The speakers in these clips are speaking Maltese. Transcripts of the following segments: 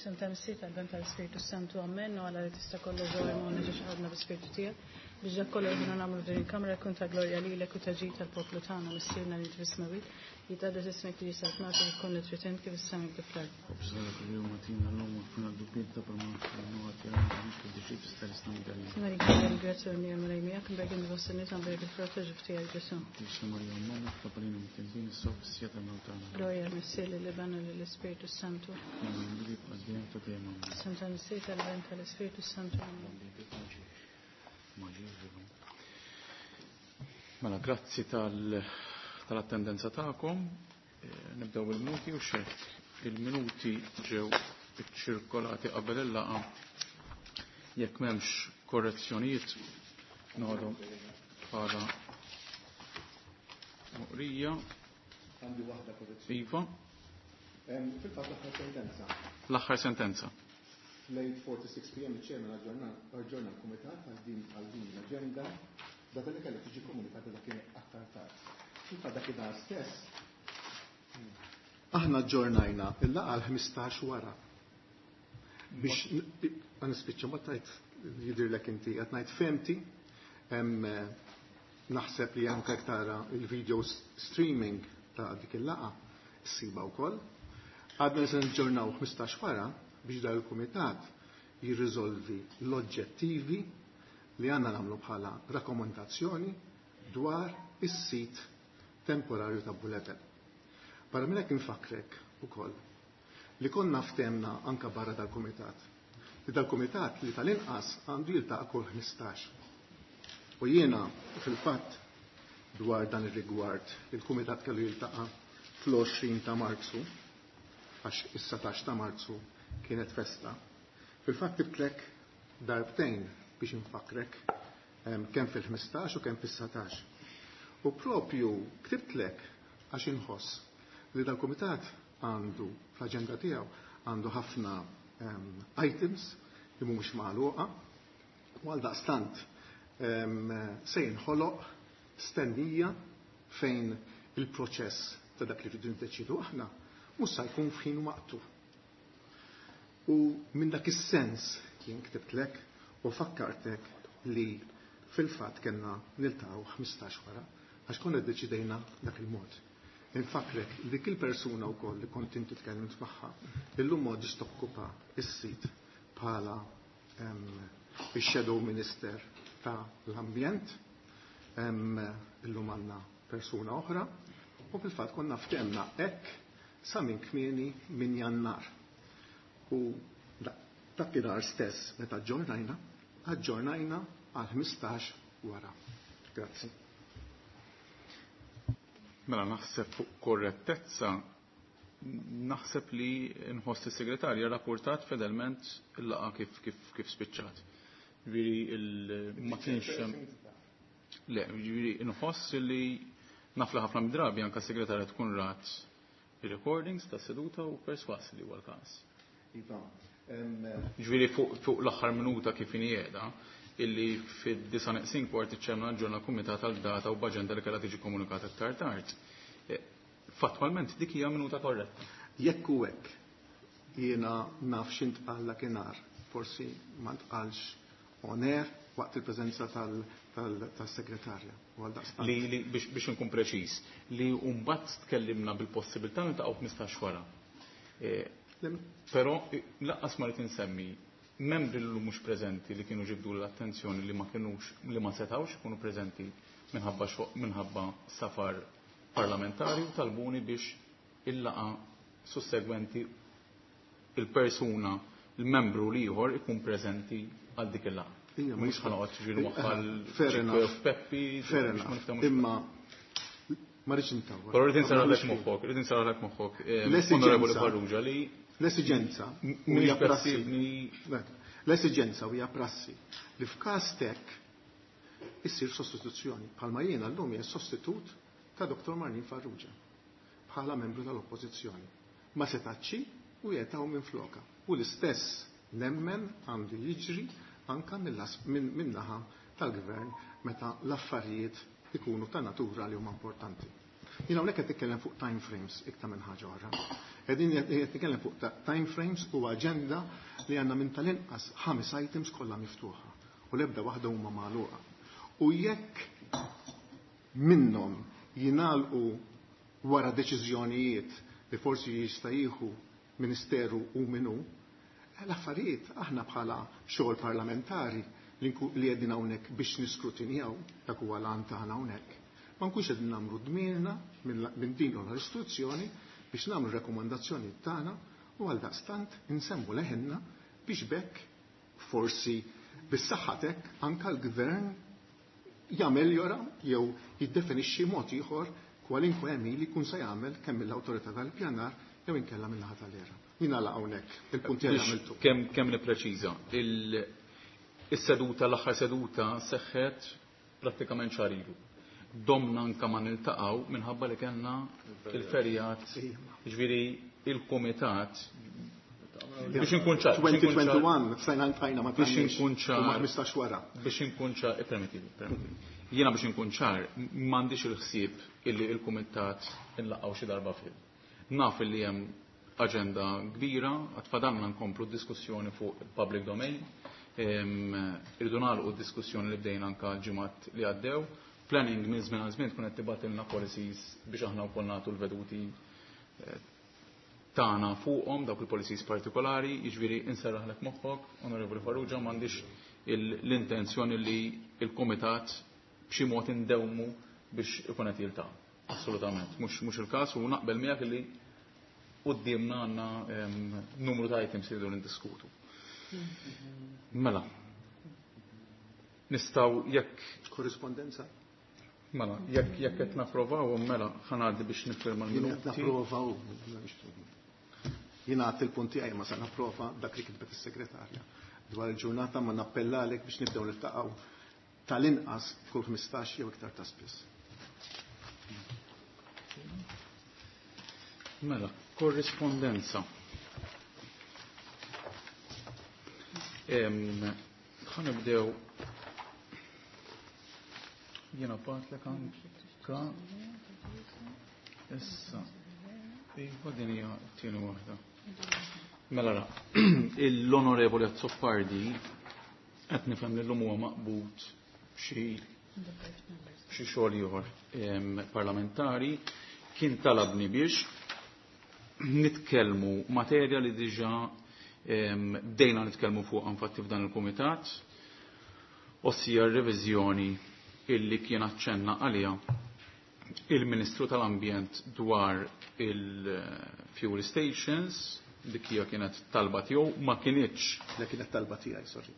F'isem tal-Missier, tal-Iben, tal-Ispirtu Santu, Amen. U Alla li tista' kollox ġewwa jmonna ġiex ħadna bl-Ispirtu tiegħek biex dak kollu li aħna nagħmlu f'din il-kamra jkun ta' glorja lilek u ta' ġid tal-poplu tagħna, Missierna li inti fis-smewwiet, jitqaddes ismek tiġi saltnatek ikun li trid int kif is-sema kif fl-art. Ħobżna kuljum agħtina llum u aħfirna dnubietna bħalma aħna nagħtu lil dawk li tistħarrisna mid-dell. Maria Maria, grazzja u l-Mulej Mulej miegħek, imbierka inti fost in-nisa, imbierek il-frott ta' ġuf tiegħek Ġesù. Qdisa Marija Omm Alla, itlob għalina midinbin issa u fis-siegħa tal-mewt tagħna. Glorja lill-Missier, lill-Iben u lill-Ispirtu s-Santu. Bħalma kien bidu jibqa' dejjem ta' dejjem. Amen. F'isem tal-Missier, tal-Iben, tal-Ispirtu s-Santu. Amen. Mela, grazzi tal-attendenza tagħkom. Nibdew il-minuti u xek. Il-minuti ġew iċċirkolati qabel il-laqa. Jekk m'hemmx korrezzjonijiet noħodhom bħala moqrija. Għandi waħda korrezzjoni. Iva. Fil-fatt l-aħħar sentenza. L-aħħar sentenza. Fl-8:46 pm iċ-Chairman aġġorna l-Kumitat għal din għal din l-aġenda data li kellha tiġi komunikata dakinhar aktar tard. Fil-fatt dakinhar stess aħna aġġornajna il-laqgħa għal 15 wara. Biex nispiċċa ma tajt jidhirlek inti qed ngħid fehmti naħseb li anke jekk tara il-video streaming ta' dik il-laqgħa ssiba wkoll. Għadna li se niġġornaw 15 wara biex dan il-kumitat jirriżolvi l-oġġettivi li għandna nagħmlu bħala rakkomandazzjoni dwar is-sit temporarju ta' Bulebel. Barra minn hekk infakkrek ukoll li konna ftemna anka barra dal-kumitat. Li dal-kumitat li tal-inqas għandu jiltaqa' kull 15. U jiena fil-fatt dwar dan ir-rigward il-kumitat kellu jiltaqa' fl-20 ta' Marzu għax is-17 ta' Marzu kienet festa. Fil-fatt ktibtlek darbtejn biex infakrek kemm fil-15 u kemm fis-19. U propju ktibtlek għax inħoss li dal-kumitat għandu fl-aġenda tiegħu għandu ħafna items li mhumiex magħluqa u għaldaqstant se jinħoloq stennija fejn il-proċess ta' dak li rridu niddeċidu aħna mhux se jkun f'ħin waqtu. U minn dak is-sens jien ktibtlek u fakkartek li fil-fatt kellna niltaqgħu 15 wara għax konna ddeċidejna dak il-mod. Infakrek li dik il-persuna wkoll li kont inti tkellimt magħha illum m'għadx tokkupa s-sit bħala ix-Shadow Minister ta' l-Ambjent. Illum għandna persuna oħra u fil-fatt konna ftemna hekk sa minn kmieni minn Jannar. U dakinhar stess meta aġġornajna, aġġornajna għal 15 wara. Grazzi. Mela naħseb fuq korrettezza naħseb li nħoss is-segretarja rapportat fedelment il-laqgħa kif kif kif spiċċat. Ġifieri ma kienx Le, ġifieri nħoss li naf li ħafna mid-drabi anke s-segretarja tkun rat il-recordings ta' seduta u perswas li huwa l-każ. Iva. Ġifieri fuq l-aħħar minuta kif inhi qiegħda, illi fid-disa' neqsin kwart iċ-ċemna aġġorna l-kumitat għal data u b'aġenda li kellha tiġi komunikata aktar tard. Fattwalment dik hija minuta korretta. Jekk hu hekk, jiena naf x'intqal dakinhar, forsi ma ntqalx on air waqt il-preżenza tas-segretarja. U għaldaqstant. Li, li biex, biex inkun preċiż, li mbagħad tkellimna bil-possibilità niltaqgħu 15 wara. Però lanqas ma rrid insemmi membri li mhux preżenti li kienu ġibdu l-attenzjoni li ma kinux li ma setgħux ikunu preżenti minħabba minħabba safar parlamentari u talbuni biex il-laqa sussegwenti il-persuna il-membru l-ieħor ikun preżenti għal dik il-laqgħa. Mhux ħa noqgħod ġifieri waħħal Fair enough. Peppi, Fair biex ma enough. niftehmux. Imma ma rridx intawwal. Però rrid insarraħlek moħħok, rrid insarraħlek moħħok, Onorevoli Farrugia li L-esiġenza mhix hija prassi. possibbli. L-esiġenza hija prassi li f'każ tek issir sostituzzjoni. Bħalma jiena llum hija sostitut ta' Dr. Marlene Farrugia bħala membru tal-Oppożizzjoni. Ma setax u jetaw minn floka. U l-istess nemmen għandu jiġri anka min-naħa tal-gvern meta l-affarijiet ikunu ta' natura li huma importanti. Jien hawnhekk qed nitkellem fuq time frames iktar minn ħaġa oħra. Qegħdin qed nitkellem fuq time frames u aġenda li għandna minn tal-inqas 5 items kollha miftuħa u l-ebda waħda huma magħluqa. U jekk minnhom jingħalqu wara deċiżjonijiet li forsi jista' jieħu ministeru u minnu, l-affarijiet aħna bħala xogħol parlamentari li qegħdin hawnhekk biex niskrutinjaw dak huwa l-għan tagħna hawnhekk. Ma nkunx qegħdin nagħmlu dmirna minn din l-istituzzjoni biex nagħmlu rakkomandazzjonijiet tagħna u għaldaqstant insemmu leħinna biex bekk forsi bis-saħħatek anke l-gvern jameljora jew jiddefinixxi mod ieħor kwalinkwe għemil li jkun se jagħmel kemm mill-awtorità tal-pjanar jew inkella min-naħa tal-ERA. Jien nagħlaq hawnhekk il-punt li għamiltu. Kemm nippreċiża, is-seduta l-aħħar seduta seħħet prattikament xahar ilu. Domna anka ma niltaqgħu minħabba li kellna il-ferjat, jiġifieri il-kumitat biex inkun ċar. 2021 sejna ntajna ma Biex inkun ċar. U ma 15 wara. Biex inkun ċar, permettili, permettili. Jiena biex inkun ċar, m'għandix il-ħsieb illi il-kumitat inlaqgħu xi darba fil. Naf illi hemm aġenda kbira, għad fadalna nkomplu diskussjoni fuq il-public domain. Irridu nagħlqu d-diskussjoni li bdejna anka l-ġimgħat li għaddew. Planning minn żmien għal żmien tkun qed tibgħatilna policies biex aħna wkoll nagħtu l-veduti tagħna fuqhom dawk il-policies partikolari, jiġifieri inserraħlek moħħok, Onorevoli Farrugia, m'għandix l-intenzjoni li l-kumitat b'xi mod indewmu biex ikun qed jiltaqa'. Assolutament, mhux il-każ u naqbel miegħek li quddiemna għandna numru ta' items li rridu niddiskutu. Mela. Nistgħu jekk korrispondenza? Mela, jekk qed napprovaw, mela ħa ngħaddi biex niffirma Jien qed l-minuti. napprova u jien għadt il-punt tiegħi ma se napprova dak li kitbet is-segretarja dwar il-ġurnata ma nappellalek biex nibdew niltaqgħu tal-inqas kull 15 jew iktar ta' spiss. Mela, korrispondenza. Ħa nibdew jiena batlek anka issa. Iva din hija t-tieni waħda. Mela ra, l-Onorevoli Azzopardi qed nifhem li llum huwa maqbud xi xogħol ieħor parlamentari kien talabni biex nitkellmu materja li diġà bdejna nitkellmu fuq infatti f'dan il-kumitat, ossia r-reviżjoni illi kien aċċenna għaliha il-Ministru tal-Ambjent dwar il-fuel stations, dik hija kienet talba tiegħu, ma kinitx. Le kienet talba tiegħi, sorry.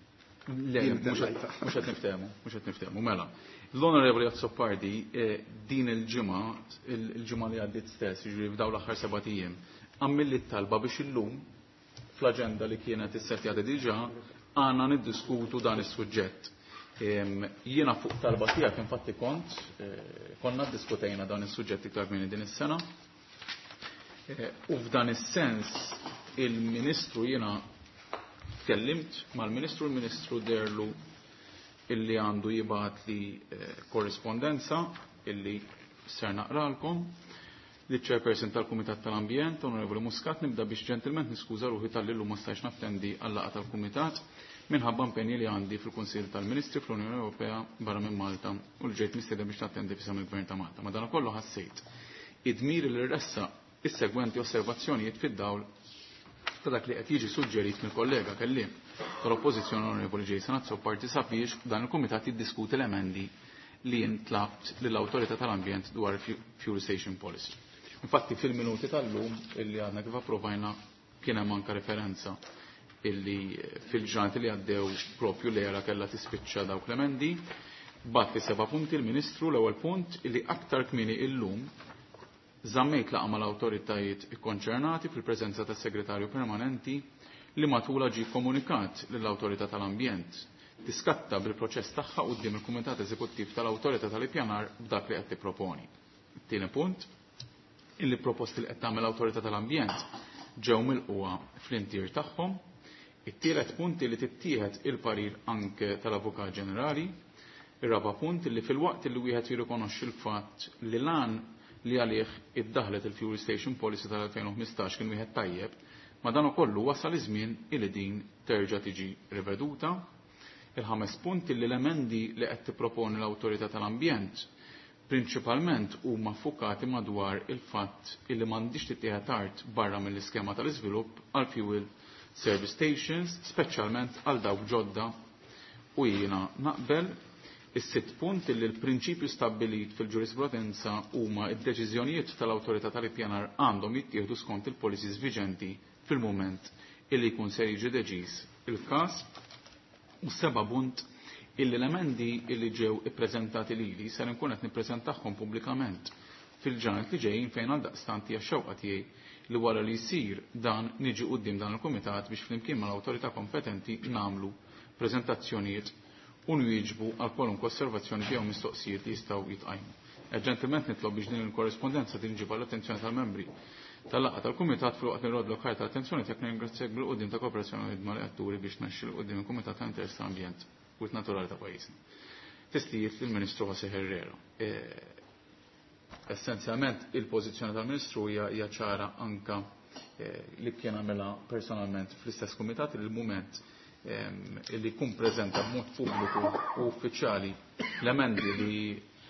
Le, Jien tellajta. mhux qed niftehmu, mhux qed niftehmu, mela. L-Onorevoli Azzopardi din il-ġimgħa, il-ġimgħa li għaddiet stess, jiġifieri f'dawn l-aħħar 7 ijiem, għamilli t-talba biex illum fl-aġenda li kienet issettjata diġà għandna niddiskutu dan is-suġġett. Jiena fuq talba tiegħek infatti konna ddiskutejna dan is-suġġett iktar kmieni din is-sena. U f'dan is-sens il-Ministru jiena tkellimt mal-Ministru, il-Ministru derlu illi għandu jibgħat li korrispondenza illi ser naqralkom. Li chairperson tal-Kumitat tal-Ambjent, Onorevoli Muscat, nibda biex ġentilment niskuża ruħi tal-li llum ma stajx nattendi għal-laqgħa tal-Kumitat minħabba impenji li għandi fil-Kunsill tal-Ministri fl-Unjoni Ewropea barra minn Malta u li ġejt mistieden biex nattendi f'isem il-Gvern ta' Malta. Madankollu ħassejt id-dmir li ressa is-segwenti osservazzjonijiet fid-dawl ta' dak li qed jiġi suġġerit mill-kollega kelliem tal-Oppożizzjoni Onorevoli Jason Azzopardi sabiex dan il-Kumitat jiddiskuti l-emendi li jintlabt lill-Awtorità tal-Ambjent dwar Fuel Station Policy. Infatti fil-minuti tal-lum illi għadna kif approvajna kien hemm anke referenza illi fil-ġranet li għaddew propju l-era kellha tispiċċa dawk l-emendi. Bat li 7 punti l-Ministru, l-ewwel punt illi aktar kmieni illum żammejt laqgħa mal-awtoritajiet ikkonċernati fil-preżenza tas-Segretarju Permanenti li matula ġie komunikat lill-Awtorità tal-Ambjent tiskatta bil-proċess tagħha quddiem il-Kumitat Eżekuttiv tal-Awtorità tal-Ippjanar b'dak li qed tipproponi. Tieni punt, illi proposti li qed tagħmel l-Awtorità tal-Ambjent ġew milquha fl-intier tagħhom. It-tielet punt li tittieħed il-parir anke tal-Avukat Ġenerali. Ir-raba' punt li fil-waqt li wieħed jirrikonoxxi l-fatt li lan li għalih iddaħlet il-Fuel Station Policy tal-2015 kien wieħed tajjeb, ma dan ukollu wasal iż-żmien illi din terġa' tiġi riveduta. Il-ħames punt illi l-emendi li qed tipproponi l-Awtorità tal-Ambjent prinċipalment huma ffukati madwar il-fatt illi m'għandix tittieħed art barra mill-iskema tal-iżvilupp għal fuel service stations, speċjalment għal dawk ġodda u jiena naqbel. Is-sitt punt illi l-prinċipju stabbilit fil-ġurisprudenza huma d-deċiżjonijiet tal-awtorità tal-ippjanar għandhom jittieħdu skont il-policies viġenti fil-mument illi jkun se jiġi deċiż il-każ. U seba' punt illi l-emendi illi ġew ippreżentati lili ser inkun qed nippreżentahom pubblikament fil-ġranet li ġejjin fejn għaldaqstant hija x-xewqa tiegħi li wara li jsir dan niġi quddiem dan il-kumitat biex flimkien mal-awtorità kompetenti nagħmlu preżentazzjonijiet u nwieġbu għal kwalunkwe osservazzjoni jew mistoqsijiet li jistgħu jitqajmu. Ġentilment nitlob biex din il-korrespondenza tinġib għall-attenzjoni tal-membri tal-laqgħa tal-Kumitat filwaqt li nroddlok ħajr tal-attenzjoni tiegħek nirringrazzjak bil-quddiem ta' kooperazzjoni u ħidma li qed turi biex tmexxi 'l quddiem il-Kumitat ta' Interess tal-Ambjent u Naturali ta' pajjiżna. Testijiet lill-Ministru José Herrera. Essenzjalment il-pożizzjoni tal-Ministru hija ċara anka li kien għamilha personalment fl-istess kumitat li l-mument li jkun preżenta b'mod pubbliku u uffiċjali l-emendi li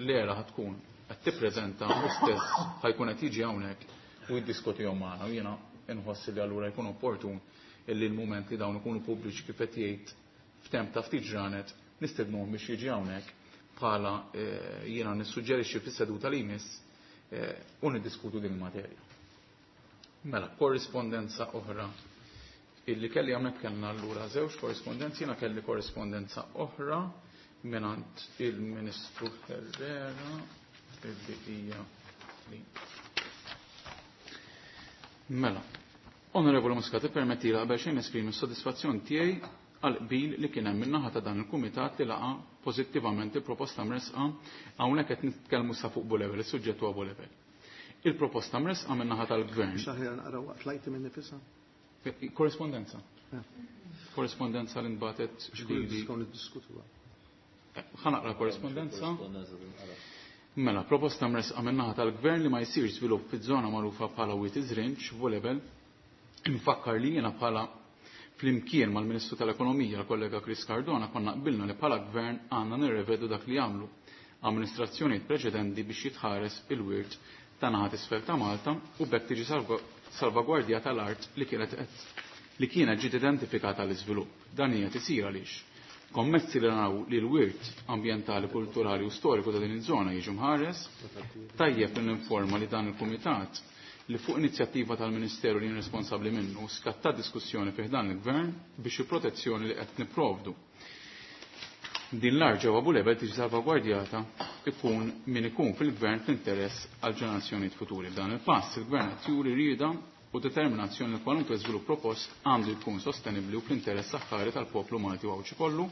l-era tkun qed tippreżenta u stess ħajkun qed jiġi hawnhekk u jiddiskutihom magħna u jiena inħoss li allura jkun opportun illi l-mument li dawn ikunu pubbliċi kif qed jgħid f'temp ta' ftit ġranet nistednuhom biex jiġi hawnhekk bħala jiena nissuġġerixxi fis-seduta li jmiss u niddiskutu din il-materja. Mela, korrispondenza oħra illi kelli hawnhekk kellna allura żewġ korrispondenzi, jiena kelli korrispondenza oħra mingħand il-Ministru Herrera illi hija li. Mela, Onorevoli Muscat, permetti li qabel xejn nesprimi s-sodisfazzjon tiegħi għal qbil li kien hemm min-naħa ta' dan il-kumitat li laqa pożittivament il-proposta mresqa hawnhekk qed nitkellmu sa fuq Bulevel, is-suġġett huwa Bulevel. Il-proposta mresqa min-naħa tal-Gvern. Xaħjar naqra waqt lajti minn nifisha? Korrespondenza. Korrespondenza li nbatet lili. Niddiskutuha. Ħa naqra korrespondenza. Mela, proposta mresqa min-naħa tal-Gvern li ma jsirx żvilupp fiż-żona magħrufa bħala Wied Iż-Rinġ, Bulevel. Infakkar li jiena bħala flimkien mal-Ministru tal-Ekonomija, l-kollega Chris Cardona, konna qbilna li bħala Gvern għandna nirrevedu dak li għamlu amministrazzjonijiet preċedenti biex jitħares il-wirt ta' naħat isfel ta' Malta u b'hekk tiġi salvagwardjata l-art li kienet li kienet ġiet identifikata l-iżvilupp. Dan hija tisir għaliex kommessi li naraw li l-wirt ambjentali, kulturali u storiku ta' din iż-żona jiġu mħares, tajjeb li ninforma li dan il-kumitat li fuq inizjattiva tal-Ministeru li jien responsabbli minnu skatta diskussjoni fih dan il-Gvern biex il-protezzjoni li qed nipprovdu. Din l-art ġewwa Bulebel tiġi salvagwardjata ikun min ikun fil-Gvern fl-interess għal ġenerazzjonijiet futuri. B'dan il-pass il-Gvern qed juri rieda u determinazzjoni li kwalunkwe żvilupp propost għandu jkun sostenibbli u fl-interess aħħari tal-poplu Malti u Għawdxi kollu.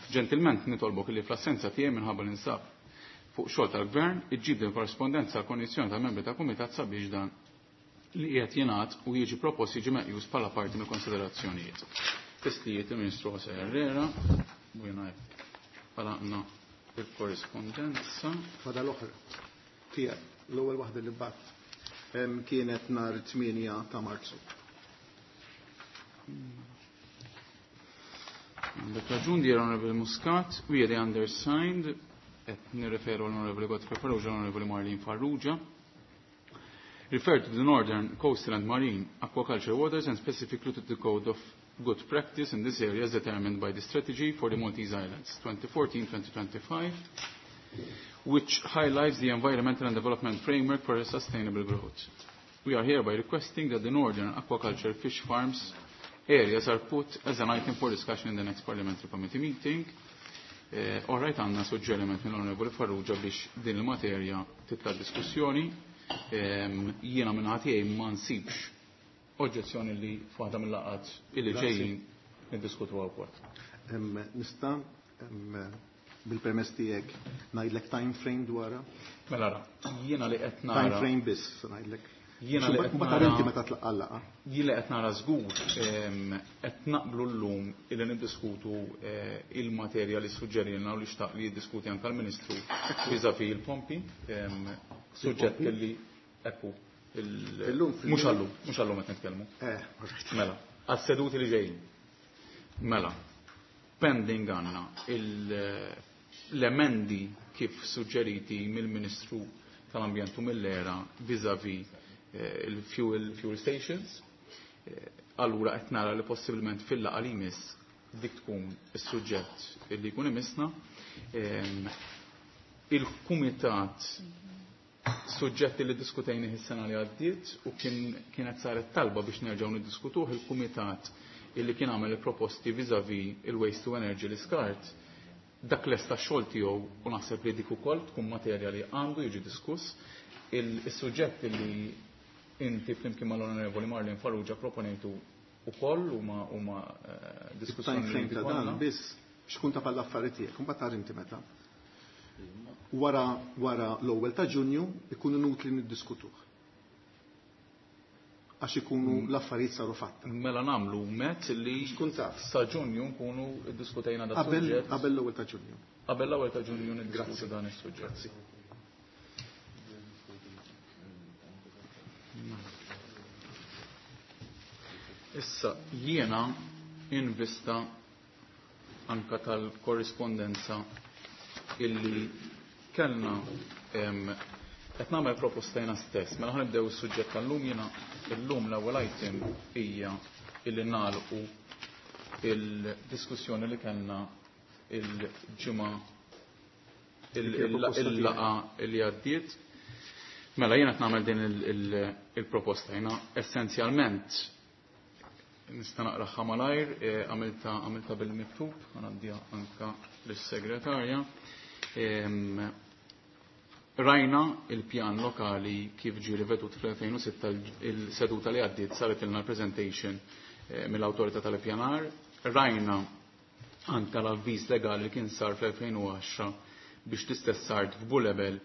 Ġentilment nitolbok li fl-assenza tiegħi minħabba l-insab fuq xogħol tal-Gvern iġġib din korrespondenza għal kondizzjoni tal-membri tal-Kumitat sabiex dan li qiegħed jingħad u jiġi propost jiġi meqjus bħala parti mill-konsiderazzjonijiet. Testijiet il-Ministru José Herrera u jiena għalaqna il-korrispondenza. Fada l-oħra tiegħek l-ewwel waħda li bat kienet nhar 8 ta' Marzu. Għandek raġun di Onorevoli Muscat, we are the undersigned, qed nirreferu l-Onorevoli Godfrey Farrugia, l-Onorevoli Marlene Farrugia. Refer to the Northern Coastal and Marine Aquaculture Waters and specifically to the Code of Good Practice in this area as determined by the Strategy for the Maltese Islands 2014-2025, which highlights the environmental and development framework for a sustainable growth. We are hereby requesting that the Northern Aquaculture Fish Farms areas are put as an item for discussion in the next Parliamentary Committee meeting. All right, għandna suġġeriment mill-Onorevoli Farrugia biex din il-materja titla' diskussjoni. Jiena minn ħadd ma nsibx oġġezzjoni li f'waħda mill-laqgħat illi ġejjin niddiskutuha wkoll. Nista' bil-permess tiegħek ngħidlek time frame dwarha? Mela ra, jiena li qed nara. Time frame biss ngħidlek. Jiena li qed nara. Inti meta tlaqqa' laqgħa. Jien li qed nara żgur qed naqblu llum illi niddiskutu il-materja li suġġerilna u li xtaq li jiddiskuti anke l-Ministru vis-à-vis il-pompi. Suġġett li ekku. Mhux għallum, mhux għallum qed nitkellmu. Mela, għas-seduti li ġejjin. Mela, pending għandna l-emendi kif suġġeriti mill-Ministru tal-Ambjent u mill-ERA vis-à-vis il-fuel fuel stations. Allura qed nara li possibilment fil-laqgħa li jmiss dik tkun is-suġġett li jkun imissna. Il-kumitat suġġetti li diskutejni is-sena li għaddiet u kienet saret talba biex nerġgħu niddiskutuh il-kumitat illi kien għamel il-proposti vis-à-vis il-waste to energy l-iskart, dak lesta xogħol tiegħu u naħseb li dik ukoll tkun materja li għandu jiġi diskuss. Il-suġġett li inti flimkien mal-Onorevoli Marlene Farrugia proponejtu ukoll huma diskussjoni li ta' dan biss xkun ta' pal affarijiet tiegħek, imbagħad tara inti meta. Wara l-ewwel ta' Ġunju ikun inutli niddiskutuh. Għax ikunu l-affarijiet saru fatta. Mela nagħmlu mezz li Xkun taf. sa Ġunju nkunu ddiskutejna dan suġġett. Qabel l-ewwel ta' Ġunju. Qabel l-ewwel ta' Ġunju niddiskutu dan is-suġġett. Grazzi. Issa jiena invista anka tal-korrispondenza illi kellna qed nagħmel proposta jiena stess. Mela ħanibdew is-suġġett tal-lum jiena illum l-ewwel item hija illi nagħlqu il-diskussjoni li kellna il-ġimgħa il-laqgħa li għaddiet. Mela jiena qed nagħmel din il-proposta jiena essenzjalment nista' naqraha malajr, għamilta bil-miktub, għandija anka lis-segretarja. Rajna il-pjan lokali kif ġie rivedut fl-2006 il-seduta li għaddiet saret ilna presentation mill-awtorità tal-pjanar. Rajna anka l-avviż legali li kien sar fl-2010 biex l-istess art f'Bulebel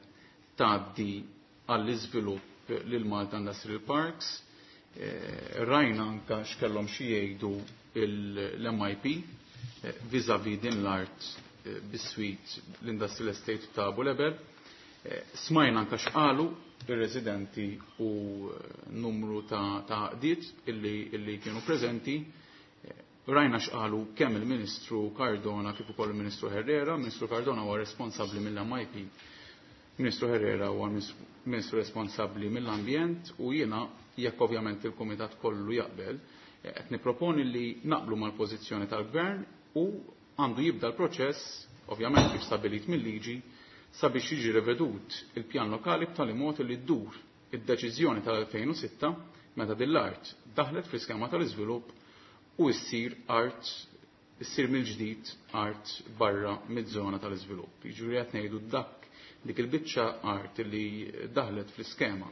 tgħaddi għall-iżvilupp lil Malta Industrial Parks. Rajna anka x'kellhom xi jgħidu l-MIP vis-à-vis din l-art biswit l-Industrial Estate ta' Bulebel. Smajna anka x'qalu ir-residenti u numru ta' għaqdiet illi kienu preżenti. Rajna x'qalu kemm il-Ministru Cardona kif ukoll il-Ministru Herrera. Ministru Cardona huwa responsabbli mill-MIP, Ministru Herrera huwa Ministru responsabbli mill-ambjent u jiena jekk ovvjament il-Kumitat kollu jaqbel, qed nipproponi li naqblu mal-pożizzjoni tal-Gvern u għandu jibda l-proċess, ovvjament kif stabilit mill-liġi, sabiex jiġi rivedut il-pjan lokali b'tali mod li ddur id-deċiżjoni tal-2006 meta din l-art daħlet fl-iskema tal-iżvilupp u ssir art, issir mill-ġdid art barra miż-żona tal-iżvilupp. Jiġifieri qed ngħidu dak dik il-biċċa art li daħlet fl-iskema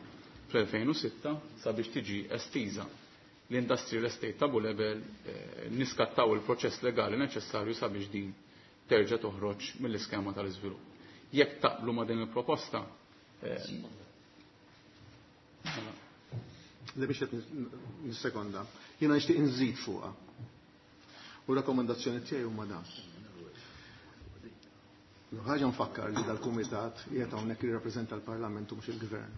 fl-2006 sabiex tiġi estiża l-Industrial Estate ta' Bulebel, niskattaw il-proċess legali neċessarju sabiex din terġa' toħroġ mill-iskema tal-iżvilupp. Jekk taqblu ma' din il-proposta, Li biex qed nissekonda, jiena nixtieq inżid fuqha. U rakkomandazzjoni tiegħi huma dan. Ħaġa nfakkar li dal-kumitat qiegħed hawnhekk jirrappreżenta l-Parlament u mhux il-Gvern.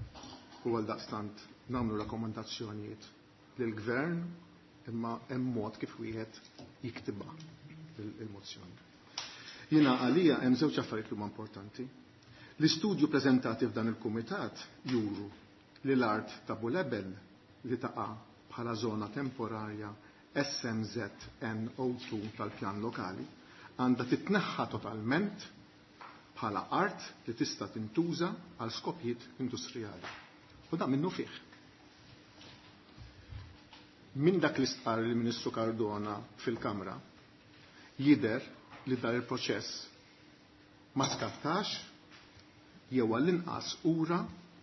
U għal daqstant nagħmlu rakkomandazzjonijiet lill-Gvern imma hemm mod kif wieħed jiktibha il-mozzjoni. Jiena għalija hemm żewġ affarijiet li huma importanti. L-istudju preżentati f'dan il-kumitat juru li l-art ta' Bulebel li taqa' bħala żona temporarja SMZNO2 tal-pjan lokali għandha titneħħa totalment bħala art li tista' tintuża għal skopijiet industrijali. U dan minnu fih. Min dak li stqarr il-Ministru Cardona fil-Kamra jidher li dar il-proċess ma skattax jew għall-inqas ura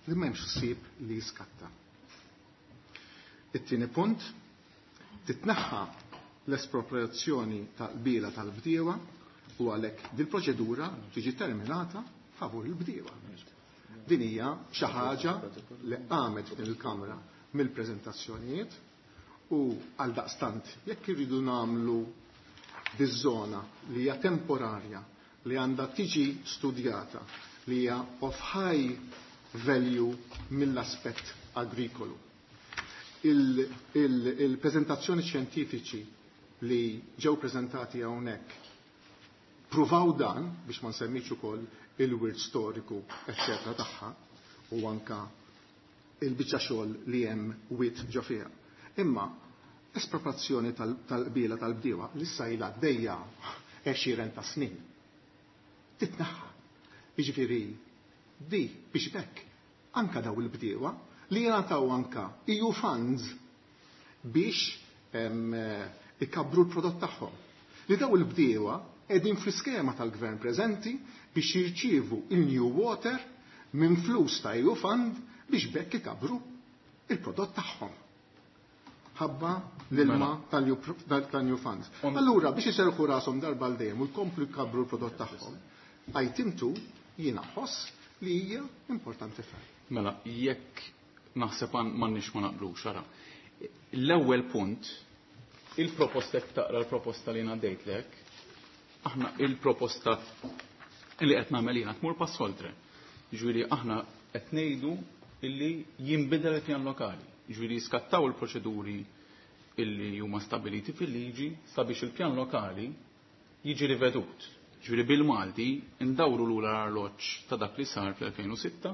li m'hemmx ħsieb li jiskatta. It-tieni punt, titneħħa l-espropriazzjoni tal-qbila tal-bdiewa u għalhekk dil-proċedura tiġi terminata favur il-bdiewa. Din hija xi ħaġa li qamet f'din il-Kamra mill-preżentazzjonijiet u għal daqstant jekk irridu nagħmlu biż-żona li hija temporarja li għandha tiġi studjata li hija of high value mill-aspett agrikolu. Il-prezentazzjoni xjentifiċi li ġew prezentati hawnhekk pruvaw dan biex ma nsemmix ukoll il-wirt storiku eċċetera tagħha u anka il-biċċa xogħol li hemm wit ġo fiha. Imma espropriazzjoni tal-qbiela tal-bdiewa li issa ilha għaddejja għexieren ta' snin. Titnaħħa. Jiġifieri di biex bekk anka daw il-bdiewa li jingħataw anka EU funds biex ikabbru l-prodott tagħhom. Li daw il-bdiewa qegħdin fl-iskema tal-gvern preżenti biex jirċievu il-New Water minn flus ta' EU fund biex bekk ikabbru il-prodott tagħhom. Ħabba l-ilma tal-New Funds. Allura biex iserħu rashom darba l dejjem u jkomplu jkabbru l-prodott tagħhom, item 2 jiena ħoss li hija importanti ferm. Mela, jekk naħseb m'għandniex ma naqblux, ara. L-ewwel punt, il-proposta jekk taqra l-proposta li ngħaddejtlek, aħna il-proposta li qed nagħmel jiena tmur pass oltre. Jiġifieri aħna qed ngħidu illi jinbidel il-pjan lokali. Jiġifieri jiskattaw il-proċeduri illi huma stabiliti fil-liġi sabiex il-pjan lokali jiġi rivedut. Ġifieri bil-Malti ndawru lura l-arloġġ ta' dak li sar fl-2006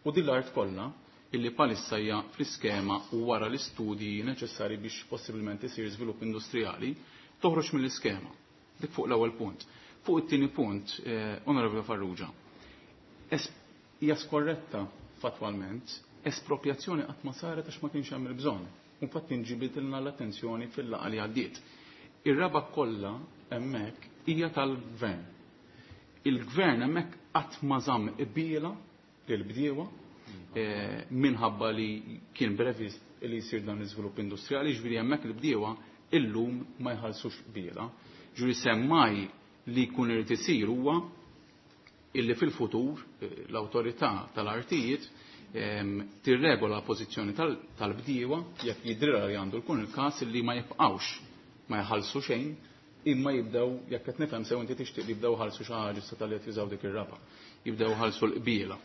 u din l-art kollha illi palissa hija fl-iskema u wara l-istudji neċessari biex possibilment isir żvilupp industrijali toħroġ mill-iskema. Dik fuq l-ewwel punt. Fuq it-tieni punt, Onorevole Farrugia, hija skorretta fatwalment, espropriazzjoni qatt ma saret għax ma kienx hemm il-bżonn. Infatti nġibitilna l-attenzjoni fil-laqgħa li għaddiet. Ir-raba kollha hemmhekk hija tal-gvern. Il-gvern hemmhekk qatt ma żamm qbiela lill-bdiewa minħabba li kien previst li jsir dan l-iżvilupp industrijali, ġifieri hemmhekk il-bdiewa illum ma jħallsux qbiela. Ġifieri semmaj li jkun irid isir huwa illi fil-futur l-awtorità tal-artijiet tirregola l-pożizzjoni tal-bdiewa jekk jidrilha li għandu jkun il-każ illi ma jibqgħux ma jħallsu xejn imma jibdew, jekk qed nifhem sew inti tixtieq li jibdew ħalsu xi ħaġa issa tal-li qed jużaw dik ir-raba. Jibdew ħalsu l-qbiela.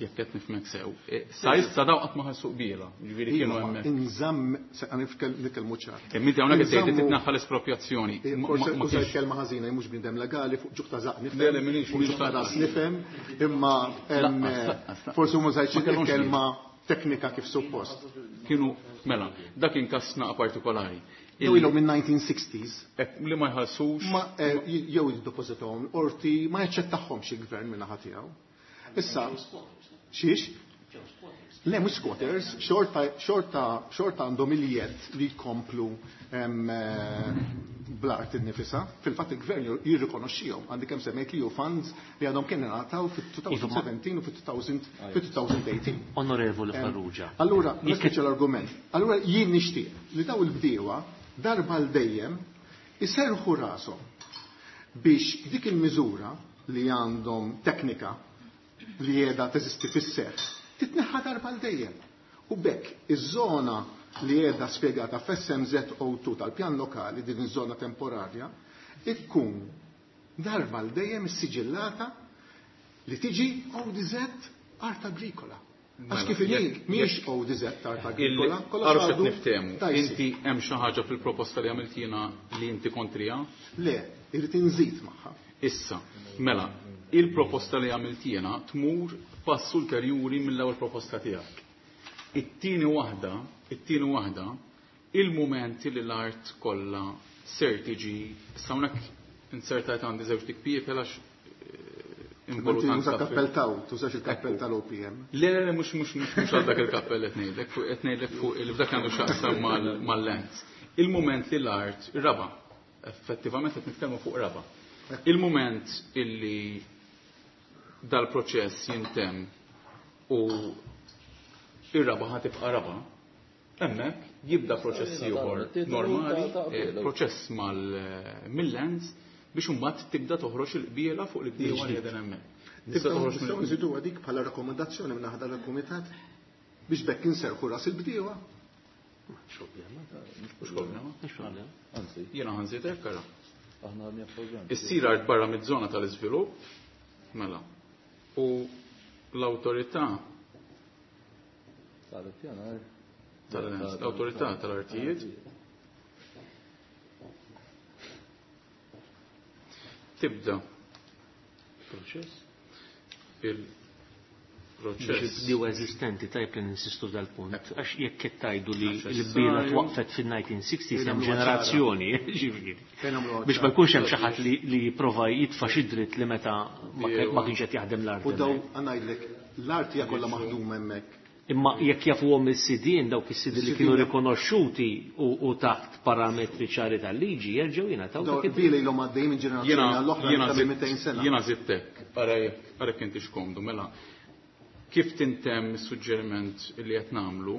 Jekk qed nifhmek sew. Sa issa daw qatt ma ħalsu qbiela, jiġifieri kienu Iva, hemmhekk. Inżamm, se nitkellmu ċar. Imma inti hawnhekk qed tgħid li Inżammu titnaħħa l-espropriazzjoni. Forse Ma użajt kienx kelma ħażina, mhux bniedem legali, fuq ġuħ ta' żaq nifhem, Le, le, minix, fuq minix ġuħ ta' ta' ras nifhem, imma, Laqqas, laqqas, laqqas. forsi ma użajtx Ma kellhomx il-kelma teknika kif suppost. Kienu, mela, dak kien każ naqa partikolari. Jew ilhom minn 1960s. Li ma jħallsux. Ma jew jiddepożitahom l-qorti, ma jaċċettahomx il-gvern minn naħa tiegħu. Issa, xiex? Le, mhux squatters, xorta għandhom il-jedd li jkomplu bl-art innifisha. Fil-fatt il-gvern jirrikonoxxihom, għandi kemm semmejt li hu funds li għadhom kien ingħataw fit-2017 u fit-2018. Onorevoli Farrugia. Allura, nispiċċa l-argument. Allura jien nixtieq li daw il-bdiewa darba l dejjem iserħu rashom biex dik il-miżura li għandhom teknika li qiegħda teżisti fis-seħħ titneħħa darba l dejjem. U bekk iż-żona li qiegħda spjegata f'SMZ02 tal-pjan lokali, din iż-żona temporarja, ikkun darba l dejjem issiġillata li tiġi ODZ art agrikola. Għax Mela, kif inhi jekk- mhijiex jekk ODZ art agrikola, kollha Għarfet għadu niftehmu. tajsi. Inti hemm xi ħaġa fil-proposta li għamiltina li inti kontrija? Le, irrid inżid magħha. Issa, mela, il-proposta li għamiltina tmur pass ulterjuri mill-ewwel proposta tiegħek. It-tieni waħda, it-tieni waħda, il-mument li l-art kollha ser tiġi, issa hawnhekk insertajt għandi żewġ tikpijiet għax Inti tuża kappell taw, tużax il-kappell tal-OPM. Le, le, le, mhux, mhux, mhux, mhux għal dak il-kappell qed ngħidlek, fuq, qed ngħidlek fuq il f'dak għandu x'jaqsam mal-lens. Il-mument li l-art, ir-raba, effettivament qed nitkellmu fuq raba. Il-mument illi dal-proċess jintemm u ir-raba ħa tibqa' raba, hemmhekk jibda proċess ieħor normali, proċess mill-lens biex imbagħad tibda toħroġ il-qbiela fuq il-bdiewa li qegħdin hemmhekk. Tibda Nistgħu toħroġ nistgħu mill- nżidu dik bħala rakkomandazzjoni minn naħa tal-kumitat biex bekk inserħu ras il-bdiewa. Mhux problema. Mhux problema. Anzi. Jiena ħanżid hekk ara. Aħna għadni appoġġjati. Issir art barra miż-żona tal-iżvilupp, mela. U l-awtorità Tal-pjanar. Tal-awtorità tal-artijiet. Tibda Proċess. il-proċess. Bdew eżistenti tajb li ninsistu dal-punt, għax jekk qed tgħidu li l-bira twaqfet fin-1960s hemm ġenerazzjoni, ġifieri. Biex ma jkunx hemm xi ħadd li jipprova jitfa' xi dritt li meta ma kienx qed jaħdem l-art. U daw ngħidlek l-art hija kollha maħduma hemmhekk. Imma jekk jafuhom is-sidien dawk is-sidien li kienu rikonoxxuti u taħt parametri ċari tal-liġi jerġgħu jingħataw dak id-dritt. Ilhom għaddejjin minn ġenerazzjoni għall-oħra ta' 200 sena. Jiena żidtek, ara jekk inti x'komdu, mela kif tintemm is-suġġeriment li qed nagħmlu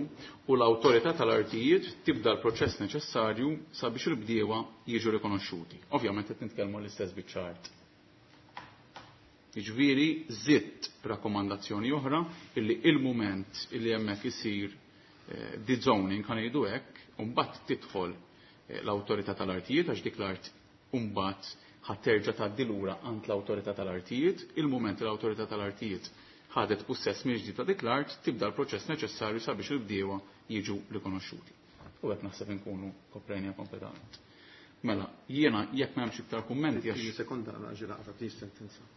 u l-awtorità tal-artijiet tibda l-proċess neċessarju sabiex il-bdiewa jiġu rikonoxxuti. Ovvjament qed nitkellmu l-istess biċċa art. Jiġifieri żidt rakkomandazzjoni oħra illi il-mument illi hemmhekk isir dezoning ħa ngħidu hekk, u mbagħad tidħol l-awtorità tal-artijiet għax dik l-art mbagħad ħa terġa' tgħaddi lura għand l-awtorità tal-artijiet, il-mument li l-awtorità tal-artijiet ħadet pussess mill-ġdid ta' dik l-art, tibda l-proċess neċessarju sabiex il-bdiewa jiġu rikonoxxuti. U hekk naħseb inkunu koprejna kompletament. Mela, jiena jekk m'hemmx iktar kummenti għax. Sekonda ġi naqra din sentenza.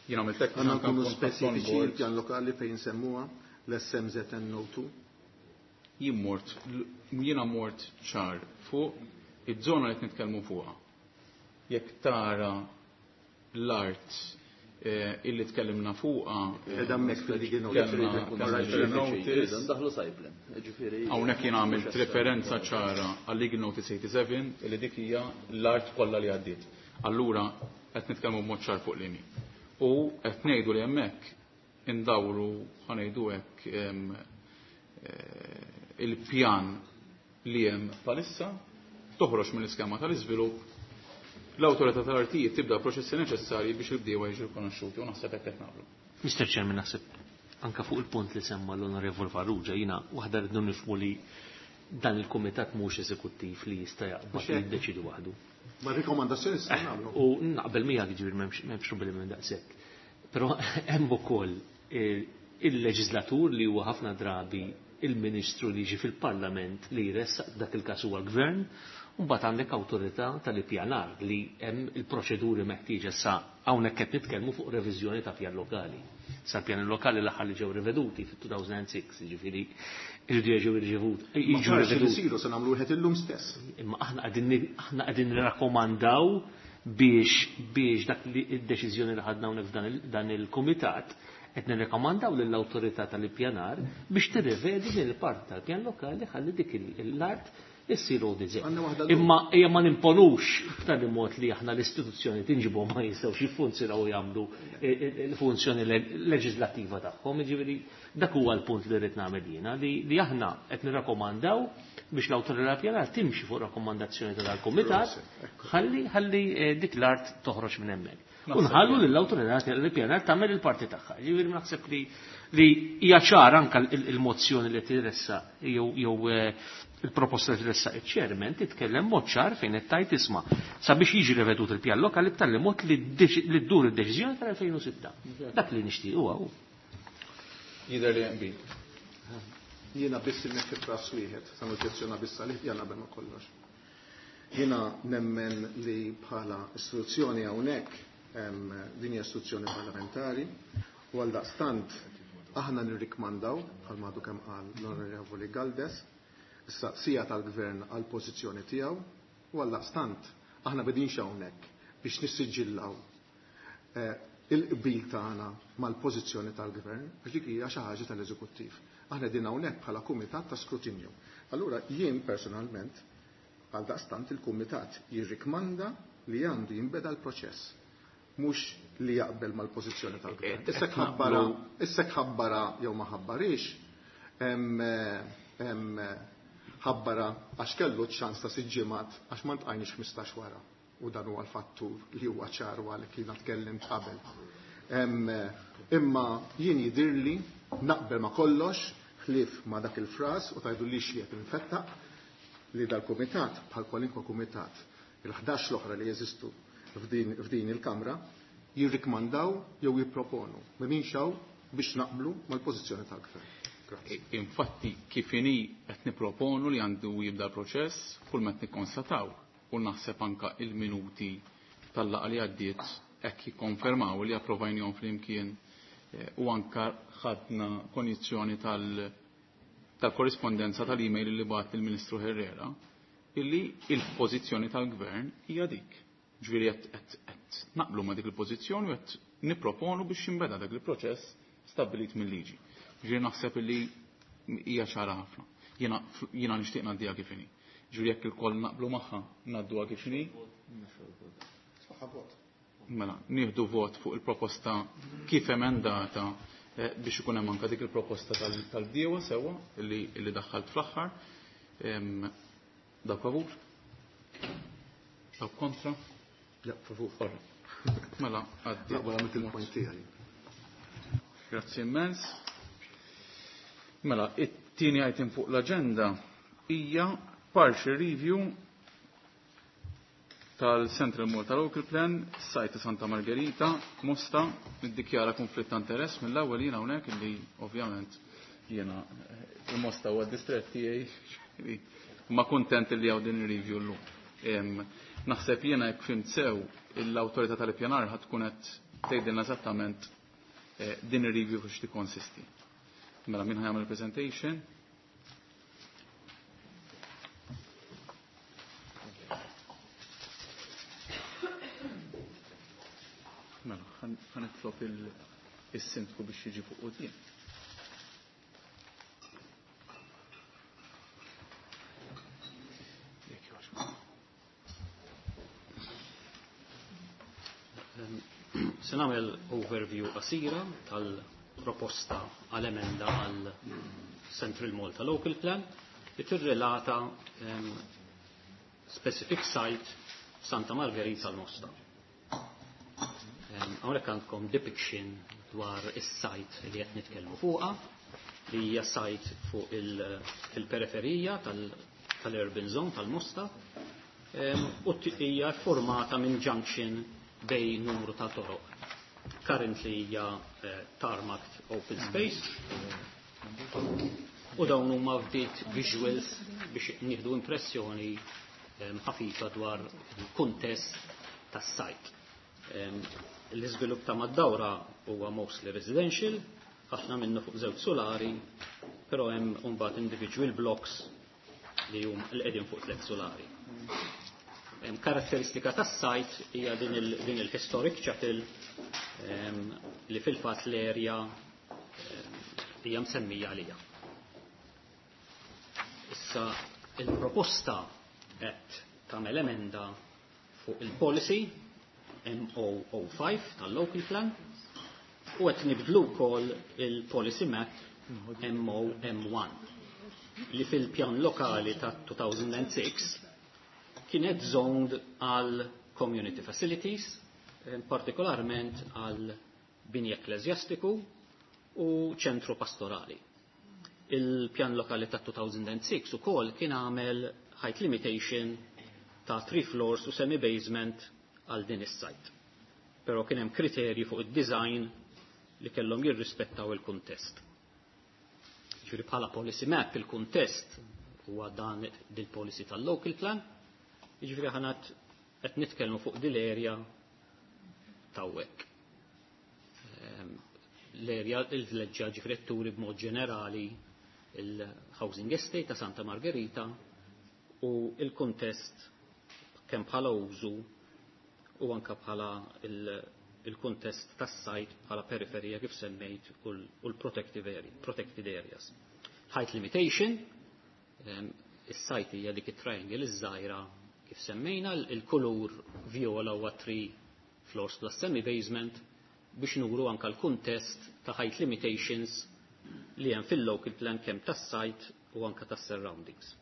Jiena għamilt hekk Għandna nkunu speċifiċi il-pjan lokali fejn semmuha l-SMZN02. Jien mort, jiena mort ċar fuq iż-żona li qed nitkellmu fuqha. Jekk tara l-art illi tkellimna fuqha. Qiegħda hemmhekk fil-legal notice. Ndaħlu sajblen. Ġifieri. Hawnhekk jien għamilt referenza ċara għal legal notice 87 illi dik hija l-art kollha li għaddiet. Allura qed nitkellmu b'mod ċar fuq l-ini. U qed ngħidu li hemmhekk indawru ħa ngħidu hekk il-pjan li hemm bħalissa toħroġ mill-iskema tal-iżvilupp l-awtorità tal-artijiet tibda proċessi neċessarji biex il-bdiewa jiġu rikonoxxuti u naħseb hekk qed nagħmlu. Mr. Chairman, naħseb anka fuq il-punt li semma l-Onorevol Farrugia, jiena waħda rridu nifhmu li dan il-kumitat mhux eżekuttiv li jista' jaqbad li jiddeċidu waħdu. Ma rikomandazzjoni se nagħmlu. U naqbel miegħek ġifieri m'hemmx problemi minn daqshekk. Però hemm ukoll il-leġislatur li huwa ħafna drabi il-ministru li jiġi fil-parlament li jressaq dak il-każ huwa l-gvern, u mbagħad għandek awtorità tal-ippjanar li hemm il-proċeduri meħtieġa sa hawnhekk qed nitkellmu fuq reviżjoni ta' pjan lokali. Sa pjan lokali l-aħħar li ġew riveduti fit-2006, jiġifieri irridu jiġu riveduti. Jiġu riveduti. Se nagħmlu wieħed illum stess. Imma aħna qegħdin nirrakkomandaw biex dak li id-deċiżjoni li ħadna hawnhekk f'dan il-kumitat qed nirrekomandaw lill-awtorità tal-ippjanar biex tirrivedi din il-parti tal-pjan lokali ħalli dik l-art issir ODZ. Imma hija ma nimponux b'tali mod li aħna l-istituzzjoni tinġibhom ma jistgħux jiffunzjonaw u jagħmlu l-funzjoni leġislattiva tagħhom. Jiġifieri dak huwa l-punt li rrid nagħmel jiena li aħna qed nirrakkomandaw biex l-awtorità pjanar timxi fuq rakkomandazzjoni ta' dal-kumitat ħalli dik l-art toħroġ minn hemmhekk. U nħallu lill-awtorità tal-pjanar tagħmel il-parti tagħha. Jiġifieri naħseb li hija ċara anke il-mozzjoni li tiressa jew il-proposta li tressaq iċ-chairman titkellem mod ċar fejn qed tgħid isma' sabiex jiġi revedut il-pjan lokali b'tali mod li ddur id-deċiżjoni tal-2006. Dak li nixtieq huwa hu. Jidher li hemm qbil. Jiena biss inneħħi fras wieħed, sa noġġezzjona biss għalih jien qabel ma kollox. Jiena nemmen li bħala istituzzjoni hawnhekk din hija istituzzjoni parlamentari u għaldaqstant aħna nirrikmandaw bħal għadu kemm qal l-Onorevoli Galdes issa sija tal-gvern għal pożizzjoni tiegħu u għaldaqstant aħna bedinx hawnhekk biex nissiġillaw il-qbil tagħna mal-pożizzjoni tal-gvern għax dik hija xi ħaġa tal-eżekuttiv. Aħna din hawnhekk bħala kumitat ta' skrutinju. Allura jien personalment għaldaqstant il-kumitat jirrikmanda li għandu jinbeda l-proċess mhux li jaqbel mal-pożizzjoni tal-gvern. Issa ħabbara jew ma ħabbarix, ħabbara għax kellu ċans ta' sitt ġimgħat għax ma ntqajniex 15 wara. U dan huwa l-fattur li huwa ċar u għalhekk jiena tkellimt qabel. Imma jien jidhirli naqbel ma kollox ħlief ma dak il-fras u tajdu li xiet infettaq li dal-kumitat bħal kwalinkwa kumitat il-11 l-oħra li jeżistu f'din il-Kamra jirrikmandaw jew jipproponu. M'hemmx hawn biex naqblu mal-pożizzjoni tal-Gvern. Grazzi. Infatti, kif inhi qed nipproponu li għandu jibda l-proċess, kull ma qed nikkonstataw u naħseb anka il-minuti tal-laqgħa li għaddiet hekk jikkonfermaw li approvajnihom flimkien u anka ħadna konjizzjoni tal-korrispondenza tal-email li bagħat il-Ministru Herrera illi il-pożizzjoni tal-Gvern hija dik. Ġifieri qed naqblu ma' dik il-pożizzjoni u qed nipproponu biex jinbeda dak il-proċess stabbilit mill-liġi. Ġifieri naħseb illi hija ċara ħafna. Jiena nixtieq ngħaddiha kif inhi. Ġifieri jekk ilkoll naqblu magħha ngħadduha kif inhi. Mela, nieħdu vot fuq il-proposta kif emendata biex ikun hemm anke dik il-proposta tal-bdiewa sewwa illi daħħalt fl-aħħar. Dawk favur? Dawk kontra? Ja, favur. Mela, għaddi. Naqbel għamilt il-point tiegħi. Grazzi immens. Mela, it-tieni item fuq l-aġenda hija partial review tal-Central Malta Local Plan, sajta Santa Margherita, Mosta, niddikjara konflitt ta' interess mill-ewwel jiena hawnhekk illi ovvjament jiena il-Mosta huwa d-distrett tiegħi ma kuntent li hawn din ir-review llum. Naħseb jiena jekk fhimt sew l-awtorità tal-ippjanar ħad tkun qed tgħidilna eżattament din ir-review fiex tikkonsisti. Mela min ħajamel presentation? Mela, ħanitlob il-sindku biex jiġi fuq quddiem. Jekk jogħġbok. Se nagħmel overview qasira tal-proposta għal emenda għal Central Malta Local Plan li tirrelata specific site Santa Margherita l-Mosta. Hawnhekk għandkom depiction dwar is-site li qed nitkellmu fuqha, li hija site fuq il-periferija tal-urban zone tal-Mosta, u hija formata minn junction bej numru ta' toroq. Currently hija tarmac open space u dawn huma ftit visuals biex nieħdu impressjoni ħafifa dwar il-kuntest tas-site. L-iżvilupp ta' mad-dawra huwa mostly residential, ħafna minnu fuq żewġ solari, però hemm mbagħad individual blocks li hum li qegħdin fuq tliet solari. Karatteristika tas-site hija din il-historic chapel li fil-fatt l-area hija msemmija għalija. Issa il-proposta qed tagħmel emenda fuq il-policy MO05 tal-local plan u qed nibdlu wkoll il-policy map MOM1 li fil-pjan lokali ta' 2006 kienet zoned għal community facilities, partikolarment għal bini ekklesjastiku u ċentru pastorali. Il-pjan lokali ta' 2006 ukoll kien għamel height limitation ta' 3 floors u semi-basement għal din is-site. Però kien hemm kriterji fuq id-design li kellhom jirrispettaw il-kuntest. Ġifieri bħala policy map il-kuntest huwa dan dil-policy tal-local plan, jiġifieri aħna qed nitkellmu fuq dil-area tawwek. L-area il-vleġġa ġifieri turi b'mod ġenerali il-housing estate ta' Santa Margherita u il-kuntest kemm bħala użu u anka bħala il-kuntest tas-sajt bħala periferija kif semmejt u l-protective area, protected areas. Height limitation, is-sajt hija dik it-triangle iż-żgħira kif semmejna, il-kulur viola huwa 3 floors plus semi-basement biex nuru anka l-kuntest ta' height limitations li hemm fil-local plan kemm tas-sajt u anka tas-surroundings.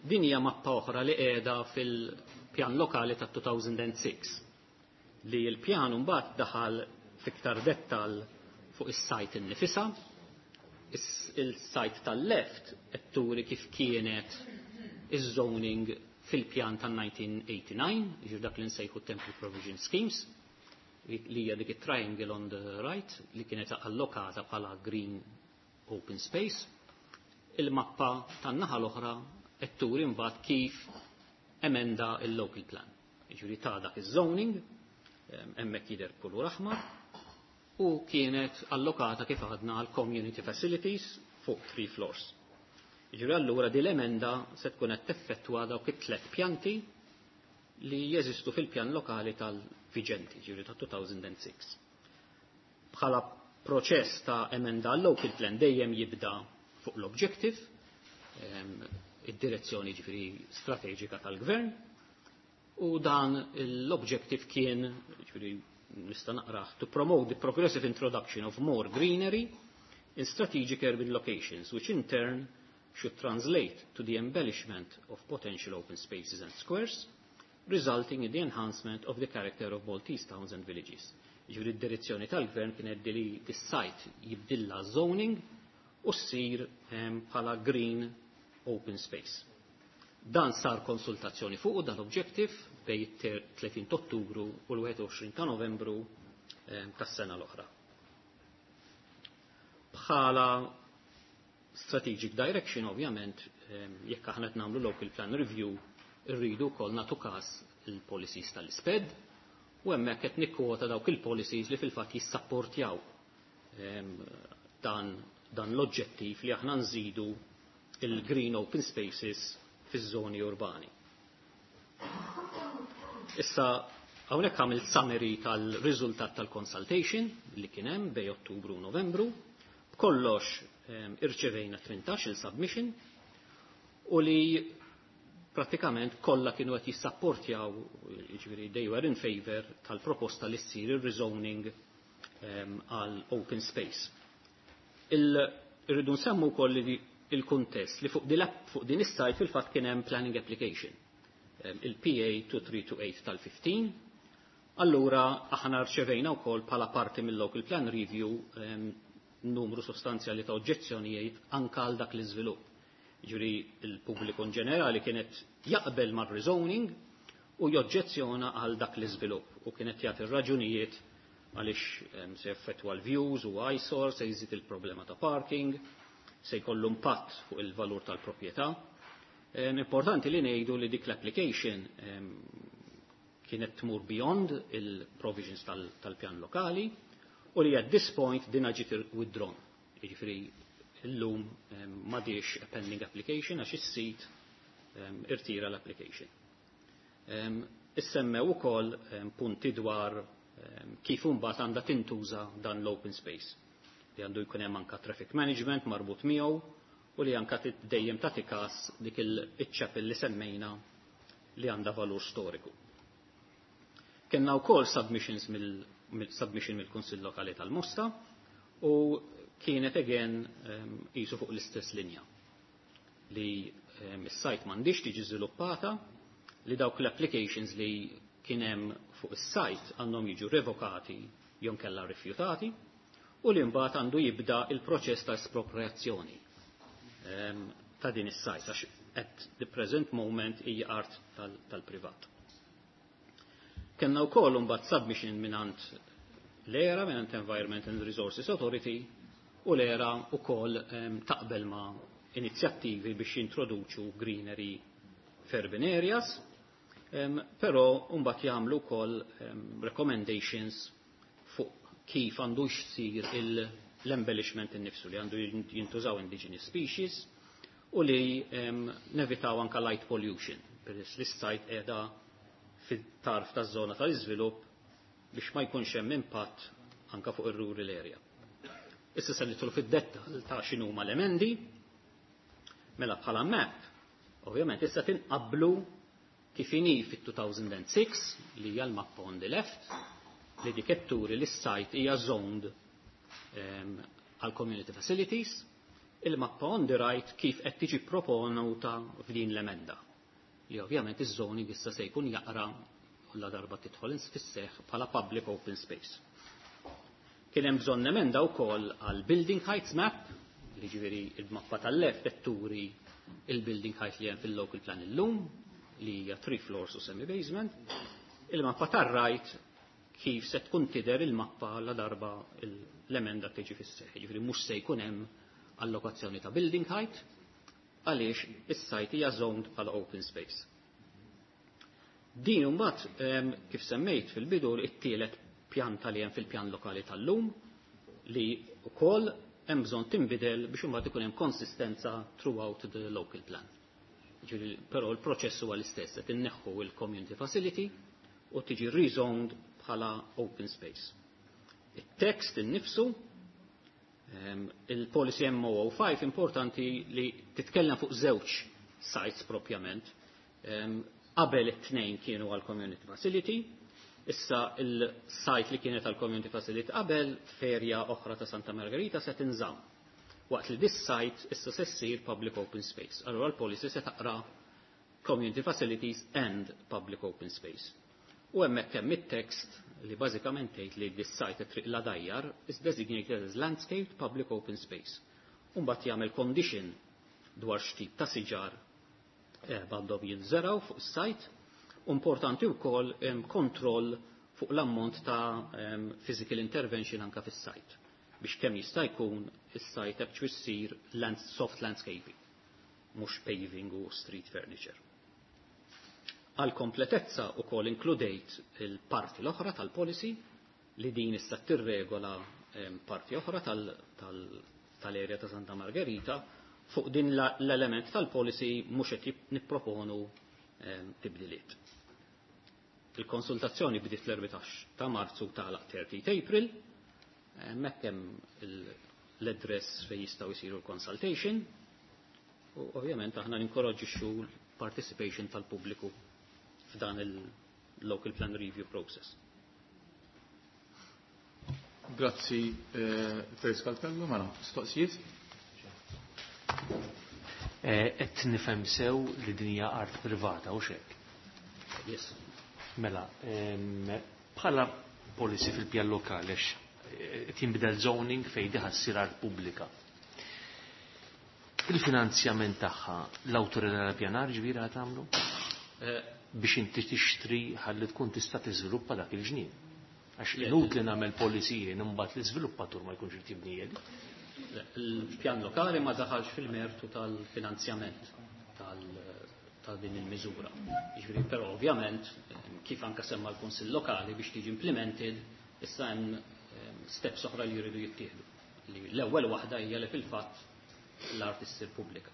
Din hija mappa oħra li qiegħda fil-pjan lokali ta' 2006 li l-pjan mbagħad daħal fiktar dettal fuq is-sajt innifisha. Il-sajt tal-left qed turi kif kienet iż-zoning fil-pjan tan-1989, jiġifieri dak li nsejħu Temporary Provision Schemes, li hija dik it-triangle on the right li kienet allokata bħala green open space. Il-mappa tan-naħa l-oħra qed turi mbagħad kif emenda il-local plan. Jiġifieri ta' dak iż-zoning, hemmhekk jidher kulur aħmar, u kienet allokata kif għadna għal community facilities fuq three floors. Jiġifieri allura din l-emenda se tkun qed teffettwa dawk it-tlet pjanti li jeżistu fil-pjan lokali tal-viġenti, jiġifieri ta' 2006. Bħala proċess ta' emenda local plan dejjem jibda fuq l-objective, id-direzzjoni ġifieri strateġika tal-gvern, u dan l-objective kien, ġifieri nista' naqrah, to promote the progressive introduction of more greenery in strategic urban locations, which in turn should translate to the embellishment of potential open spaces and squares, resulting in the enhancement of the character of Maltese towns and villages. Ġifieri d-direzzjoni tal-gvern kienet li dis-site jibdilla zoning u ssir bħala green open space. Dan sar konsultazzjoni fuq dan objective bej 30 Ottubru u l-21 ta' Novembru tas-sena l-oħra. Bħala strategic direction ovvjament jekk aħna qed nagħmlu local plan review irridu wkoll nagħtu każ il-policies tal-isped u hemmhekk qed nikkwota dawk il-policies li fil-fatt jissapportjaw dan, dan l-oġġettiv li aħna nżidu il-green open spaces fiż-żoni urbani. Issa hawnhekk għamilt summary tal-riżultat tal-consultation li kien hemm bej Ottubru u Novembru. B'kollox irċevejna 18 il-submission u li pratikament kollha kienu qed jissapportjaw, jiġifieri they were in favor tal-proposta li ssir ir-rezoning għal open space. Irridu nsemmu wkoll li il-kuntest li fuq din is-site fil-fatt kien hemm planning application, il-PA 2328 tal-15. Allura aħna rċevejna wkoll bħala parti mill-local plan review numru sostanzjali ta' oġġezzjonijiet anka għal dak l-iżvilupp. Ġifieri il-pubbliku in ġenerali kienet jaqbel mar-rezoning u joġġezzjona għal dak l-iżvilupp u kienet jagħti raġunijiet għaliex se jaffettwa l-views u eyesore, se jżid il-problema ta' parking, se jkollu impatt fuq il-valur tal-proprjetà. Importanti li ngħidu li dik l-application kienet tmur beyond il-provisions tal-pjan lokali u li at this point din ġiet withdrawn. Jiġifieri illum m'għadix a pending application għax is-sit irtira l-application. Issemmew ukoll punti dwar kif imbagħad għandha tintuża dan l-open space. Li għandu jkun hemm anka traffic management marbut miegħu u li anka dejjem tagħti każ dik il-chapel li semmejna li għandha valur storiku. Kenna wkoll submissions mill submission mill-Kunsill Lokali tal-Mosta u kienet again qisu fuq l-istess linja li is-site m'għandix tiġi żviluppata, li dawk l-applications li kien hemm fuq is-site għandhom jiġu revokati jew kella rifjutati u li mbagħad għandu jibda il-proċess ta' espropriazzjoni ta' din is-site għax at the present moment hija art tal-privat. Kenna wkoll imbagħad submission mingħand l-ERA, mingħand Environment and Resources Authority, u l-ERA wkoll taqbel ma' inizjattivi biex jintroduċu greenery f'urban areas, però mbagħad jagħmlu wkoll recommendations fuq kif għandu jsir l-embellishment innifsu, li għandu jintużaw indigenous species u li nevitaw anka light pollution, peress li s-site qiegħda fit-tarf taż-żona tal-iżvilupp biex ma jkunx hemm impatt anka fuq ir-rural area. Issa se nidħlu fid-dettall ta' x'inhuma l-emendi. Mela bħala map, ovvjament issa tinqablu kif inhi fit-2006 li hija l-mappa on the left, li dik turi li s-site hija zoned għal community facilities, il-mappa on the right kif qed tiġi proponuta f'din l-emenda. Li ovvjament iż-zoning issa se jkun jaqra u la darba tidħol fis-seħħ bħala public open space. Kien hemm bżonn emenda wkoll għal building heights map, li ġifieri il-mappa tal-left qed turi il-building height li hemm fil-local plan illum. li hija 3 floors u semi-basement, il-mappa tar-right kif se tkun tidher il-mappa la darba l-emenda tiġi fis-seħħ. Jiġifieri mhux se jkun hemm allokazzjoni ta' building height għaliex is-site hija zoned bħala open space. Din imbagħad kif semmejt fil-bidu it-tielet pjanta li hemm fil-pjan lokali tal-lum li wkoll hemm bżonn tinbidel biex imbagħad ikun hemm konsistenza throughout the local plan. Ġifieri, però l-proċess huwa l-istess, qed inneħħu il-community facility u tiġi rezoned bħala open space. Il-text innifsu, il-policy MO05 importanti li titkellem fuq żewġ sites propjament. Qabel it-tnejn kienu għal community facility, issa il-site li kienet għal community facility qabel ferja oħra ta' Santa Margherita se tinżamm. Waqt li this site issa se ssir public open space. Allora l-policy se taqra community facilities and public open space. U hemmhekk hemm it-text li bażikament tgħid li this site at Triq l-Għadajjar is designated as landscaped public open space. U mbagħad jagħmel condition dwar x'tip ta' siġar għandhom jinżeraw fuq is-site. Importanti wkoll kontroll fuq l-ammont ta' physical intervention anka fis-site biex kemm jista' jkun is-site actually ssir land, soft landscaping, mhux paving u street furniture. Għal kompletezza ukoll inkludejt il-parti l-oħra tal-policy li din issa tirregola parti oħra tal-area ta' Santa Margherita fuq din l-element tal-policy mhux qed nipproponu tibdiliet. Il-konsultazzjoni bdiet l-14 ta' Marzu tagħlaq 30 April, hemmhekk hemm l-address fejn jistgħu jsiru l-consultation u ovvjament aħna ninkoraġġixxu l-participation tal-pubbliku f'dan il-local plan review process. Grazzi, Perit Calpello, mela, mistoqsijiet? Qed nifhem sew li din hija art privata u xek. Yes. Mela, bħala policy fil-pjan lokali għax qed jinbidel zoning fejn diħa ssir art pubblika. Il-finanzjament tagħha l-awtorità tal-pjanar ġbira tagħmlu? Biex inti tixtri ħalli tkun tista' tiżviluppa dak il-ġnien. Għax inutli nagħmel policy jien imbagħad l-iżviluppatur ma jkunx irid jibni. Il-pjan lokali ma daħalx fil-mertu tal-finanzjament ta' din il-miżura. Jiġifieri, però ovvjament, kif anka semma l-Kunsill Lokali biex tiġi implemented, issa hemm steps oħra li jridu jittieħdu. Li l-ewwel waħda hija li fil-fatt l-art issir pubblika.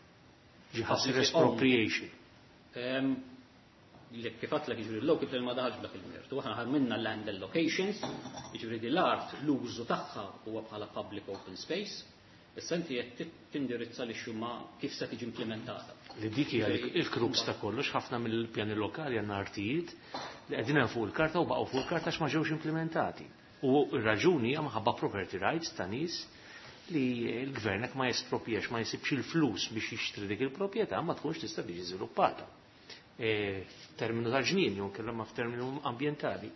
Ġi ħassir expropriation. Li kif għedtlek jiġifieri l-local plan ma daħalx b'dak il-mertu. Aħna ħarminna land allocations, jiġifieri di l-art l-użu tagħha huwa bħala public open space. Issa inti qed tindirizza li xuma kif se tiġi implementata. Li dik hija il-crux ta' kollox, ħafna mill-pjani lokali għandna artijiet li qegħdin hemm fuq il-karta u baqgħu fuq il-karta għax ma ġewx implementati. U r-raġuni hija minħabba property rights ta' nies li l-gvern hekk ma jesproprjax, ma jsibx il-flus biex jixtri dik il-proprjetà ma tkunx tista' tiġi żviluppata. F'terminu ta' ġnien jew kellha ma f'terminu ambjentali.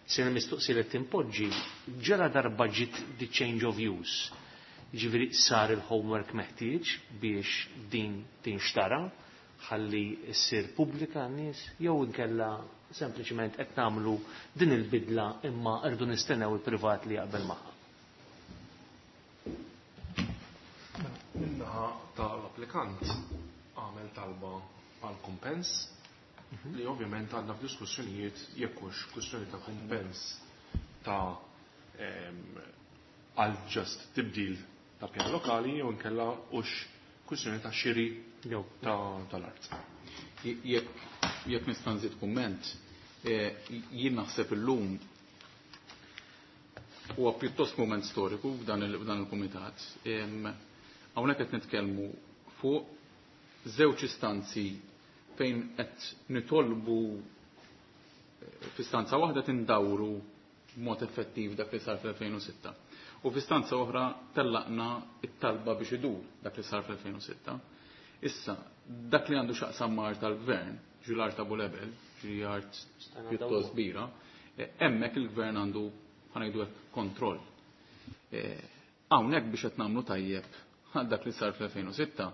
Se mistoqsi li tinpoġġi ġara darba ġiet the change of use. Ġifieri sar il-homework meħtieġ biex din tinxtara ħalli ssir pubblika għan-nies jew inkella sempliċement qed nagħmlu din il-bidla imma rridu nistennew il-privat li jaqbel magħha. Min-naħa tal-applikant għamel talba għal kumpens li ovvjament għandna f'diskussjonijiet jekk hux kwistjoni ta' kumpens ta' għal just tibdil ta' pjan lokali jew inkella hux kwistjoni ta' xiri tal-art. Jekk nista' nżid kumment, jien naħseb illum huwa pjuttost moment storiku f'dan il-kumitat. Hawnhekk qed nitkellmu fuq żewġ istanzi fejn qed nitolbu f'istanza waħda tindawru b'mod effettiv dak li sar fl-2006. U f'istanza oħra tellaqna it-talba biex idur dak li sar fl-2006. Issa, dak li għandu x'jaqsam ma' art tal-gvern, ġi l-art ta' Bulebel, ġi art pjuttost kbira, hemmhekk il-gvern għandu ħanajdu hekk kontroll. Hawnhekk biex qed nagħmlu tajjeb għal dak li sar fl-2006,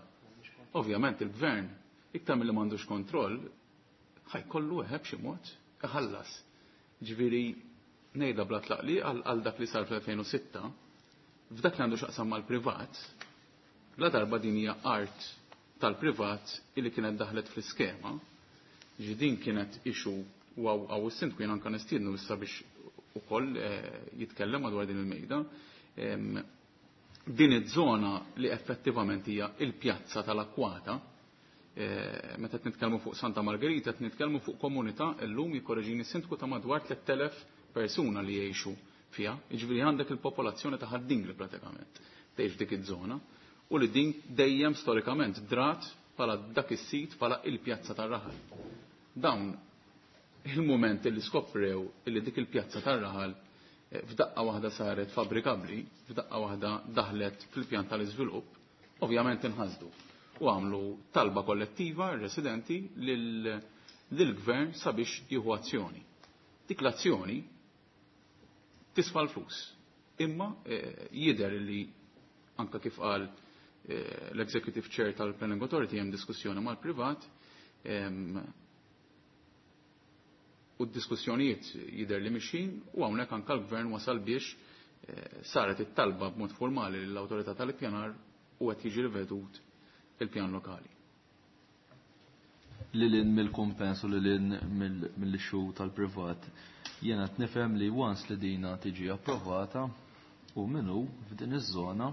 ovvjament il-gvern iktar milli m'għandux kontroll, Ħa jkollu eħe b'xi mod iħallas. Ġifieri ngħidha bla tlaqli għal dak li sar fl-2006, f'dak li għandu x'aqsam mal-privat, la darba din hija art tal-privat illi kienet daħlet fl-iskema, ġi din kienet issue u hawn is-sindku jien anke nistiednu issa biex ukoll jitkellem madwar din il-mejda. Din iż-żona li effettivament hija il-pjazza tal-Akkwata, meta qed nitkellmu fuq Santa Margherita qed nitkellmu fuq komunità llum jikkoreġini s-sindku ta' madwar 3000 persuna li jgħixu fiha, jiġifieri għandek il-popolazzjoni ta' Ħad-Dingli pratikament tgħix f'dik iż-żona u li din dejjem storikament drat bħala dak is-sit bħala il-pjazza tar-raħal. Dawn il-moment li skoprew illi dik il-pjazza tar-raħal f'daqqa waħda saret fabbrikabbli, f'daqqa waħda daħlet fil-pjan tal-iżvilupp, ovvjament inħasdu u għamlu talba kollettiva r-residenti lill-gvern sabiex jieħu azzjoni. Dik l-azzjoni tisfa l-flus. Imma jidher li anka kif qal l-Executive Chair tal-Planning Authority hemm diskussjoni mal-privat u d-diskussjonijiet jidher li mixin u hawnhekk anka l-gvern wasal biex saret it-talba b'mod formali lill-awtorità tal-ippjanar u qed jiġi rivedut il-pjan lokali. Lilin mill-kumpens u lilin mill-issue tal-privat, jiena qed nifhem li once li dina tiġi approvata u minnu f'din iż-żona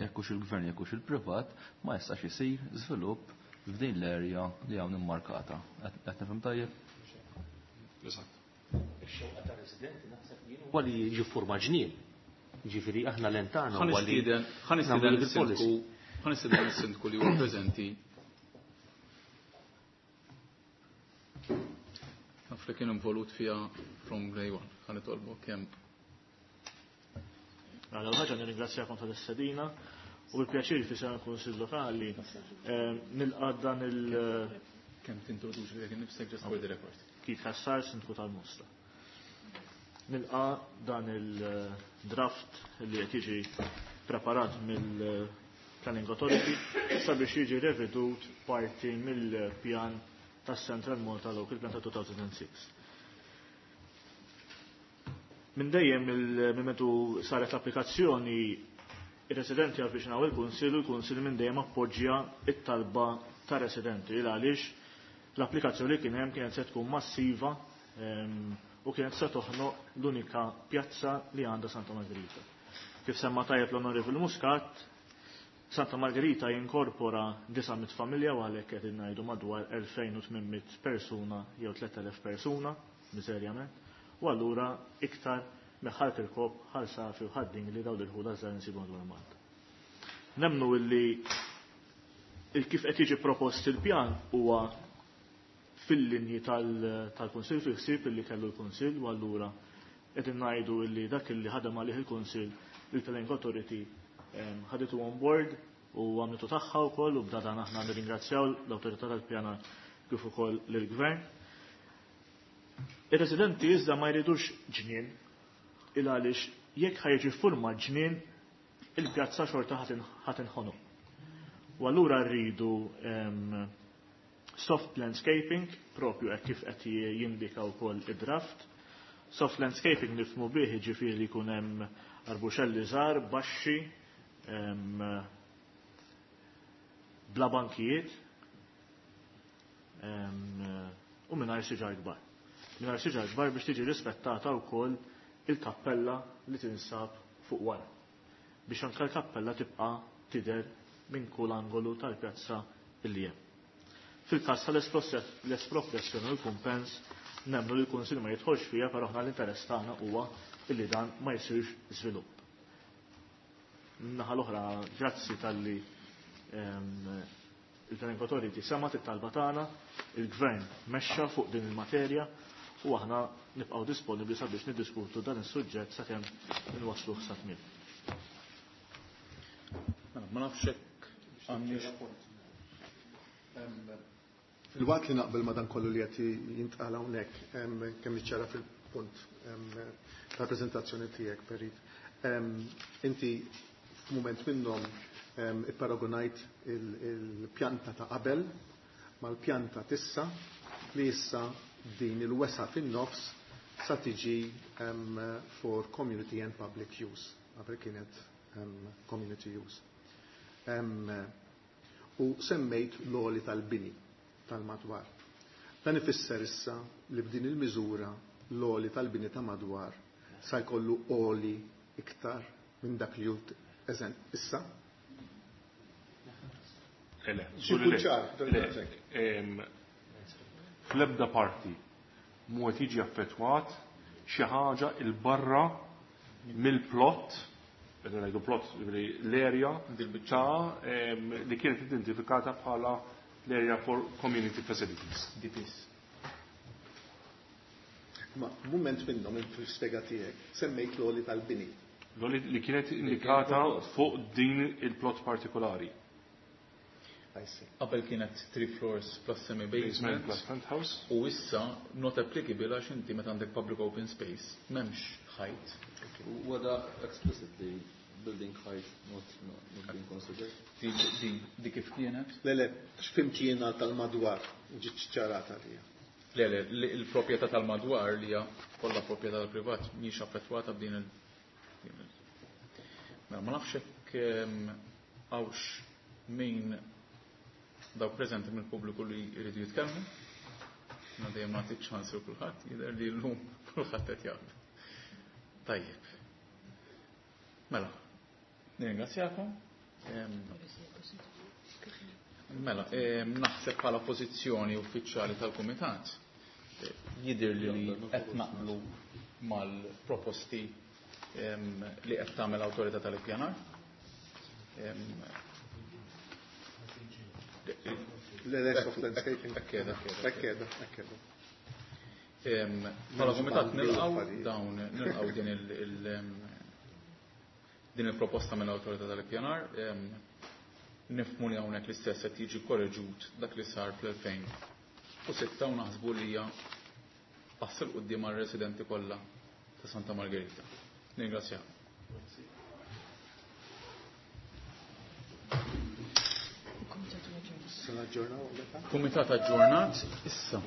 jekk hux il-gvern jekk hux il-privat ma jistax isir żvilupp f'din l-area li hawn immarkata. Qed nifhem tajjeb? Eżatt. Ix-xewqa tar-residenti naħseb jien huwa li jiġi forma ġnien. Ġifieri aħna lentana huwa li ħa nistieden is-sindku ħa nistieden is-sindku li huwa preżenti. Naf li kien involut fiha from day one. Ħa nitolbu kemm. Għala ħaġa nirringrazzjakom tal-istedina u bil-pjaċir fi sena Kunsill Lokali nilqa' dan il- Kemm tintroduċi lilek innifsek just for the record. Keith Cassar, Sindku tal-Mosta. Nilqa' dan il-draft li qed jiġi preparat mill-Planning Authority sabiex jiġi revedut parti mill-pjan tas Central Malta Local Plan ta' 2006. Minn dejjem minn metu saret l-applikazzjoni, ir-residenti avviċinaw il-Kunsill u l-Kunsill minn dejjem appoġġja it-talba ta' residenti il għaliex l-applikazzjoni li kien hemm kienet se tkun massiva u kienet se toħnoq l-unika pjazza li għandha Santa Margherita. Kif semma tajjeb l-Onorevoli Muscat, Santa Margherita jinkorpora 900 familja u għalhekk qed ngħidu madwar 2800 persuna jew 3000 persuna, miżerjament, u allura iktar meħħal il-kop ħal safi u ħadding li dawn il-ħuda żgħar insibu madwar Malta. Nemnu illi il kif qed jiġi propost il-pjan huwa fil-linji tal-Kunsill, fil-ħsieb illi kellu l-Kunsill, u allura qed ngħidu illi dak illi ħadem għalih il-Kunsill, il-Planning Authority ħaditu on board u għamlitu tagħha wkoll, u b'dan aħna nirringrazzjaw l-Awtorità tal-Pjanar kif ukoll lill-Gvern. Ir-residenti iżda ma jridux ġnien, il għaliex jekk ħajġi forma ġnien, il-pjazza xorta ħadd inħonoq. U allura rridu soft landscaping, propju hekk kif qed jindika wkoll id-draft. Soft landscaping nifhmu bih jiġifieri li jkun hemm arbuxelli żgħar, baxxi, bla bankijiet, u mingħajr siġar kbar. Mingħajr siġar kbar biex tiġi rispettata wkoll il-kappella li tinsab fuq wara. Biex anke l-kappella tibqa' tidher minn kull angolu tal-pjazza illi hemm. Fil-każ tal-espropriazzjoni u l-kumpens, nemmnu li l-Kunsill ma jidħolx fiha, però aħna l-interess tagħna huwa illi dan ma jsirx żvilupp. Naħa l-oħra, grazzi talli il-Planning Authority semat it-talba tagħna, il-Gvern mexxa fuq din il-materja u aħna nibqgħu disponibbli sabiex niddiskutu dan is-suġġett sakemm inwassluh sa tmiem. Ma nafx hekk għandix. Fil-waqt li naqbel ma dan kollu li qed jintqal hawnhekk, kemm iċċara fil-punt tal-preżentazzjoni tiegħek, Perit. Inti f'mument minnhom ipparagonajt il-pjanta ta' qabel mal-pjanta tissa li issa din il-wesa fin-nofs sa tiġi for community and public use. Qabel kienet community use. U semmejt l-għoli tal-bini tal-madwar. Dan ifisser issa li b'din il-miżura l-għoli tal-bini ta' madwar sa jkollu għoli iktar minn dak li hu issa. Le, Xi jkun ċar, le. Fl-ebda parti mhu qed jiġi affettwat xi ħaġa 'il barra mill-plot, qed ngħidu plot l-area ta' li kienet identifikata bħala l-area for community facilities. DPS. Ma moment minnhom fil-spjega tiegħek semmejt l-għoli tal-bini. L-għoli li kienet indikata fuq din il-plot partikolari. I see. Qabel kienet 3 floors plus semi-basement. Basement plus penthouse. U issa not applicable għax inti meta għandek public open space m'hemmx height. Wada explicitly building height not being considered. Di kif kienet? Le, le, x'fimt jiena tal-madwar ġiet ċarata li. Le, le, il-proprjetà tal-madwar li hija kollha proprjetà tal-privat mhix affettwata b'din il-, din il-. Mela, ma nafx hekk hawnx min dawk preżenti mill-pubbliku li jridu jitkellmu. Ma dejjem nagħti ċans lil kulħadd, jidher li llum kulħadd qed jaqbel. Tajjeb. Mela, nirringrazzjakom. Mela, naħseb bħala pożizzjoni uffiċjali tal-Kumitat jidher li qed naqblu mal-proposti li qed tagħmel l-Awtorità tal-Ippjanar. Le, le, soft landscaping. Ekkeda, ekkeda. Ekkeda, ekkeda. Bħala Kumitat nilqgħu dawn, nilqgħu din din il-proposta mill-Awtorità tal-Ippjanar. Nifhmu li hawnhekk l-istess qed jiġi korreġut dak li sar fl-2006 u naħsbu li hija pass il quddiem għar-residenti kollha ta' Santa Margherita. Ningrazzjakom. Kumitat aġġornat issa.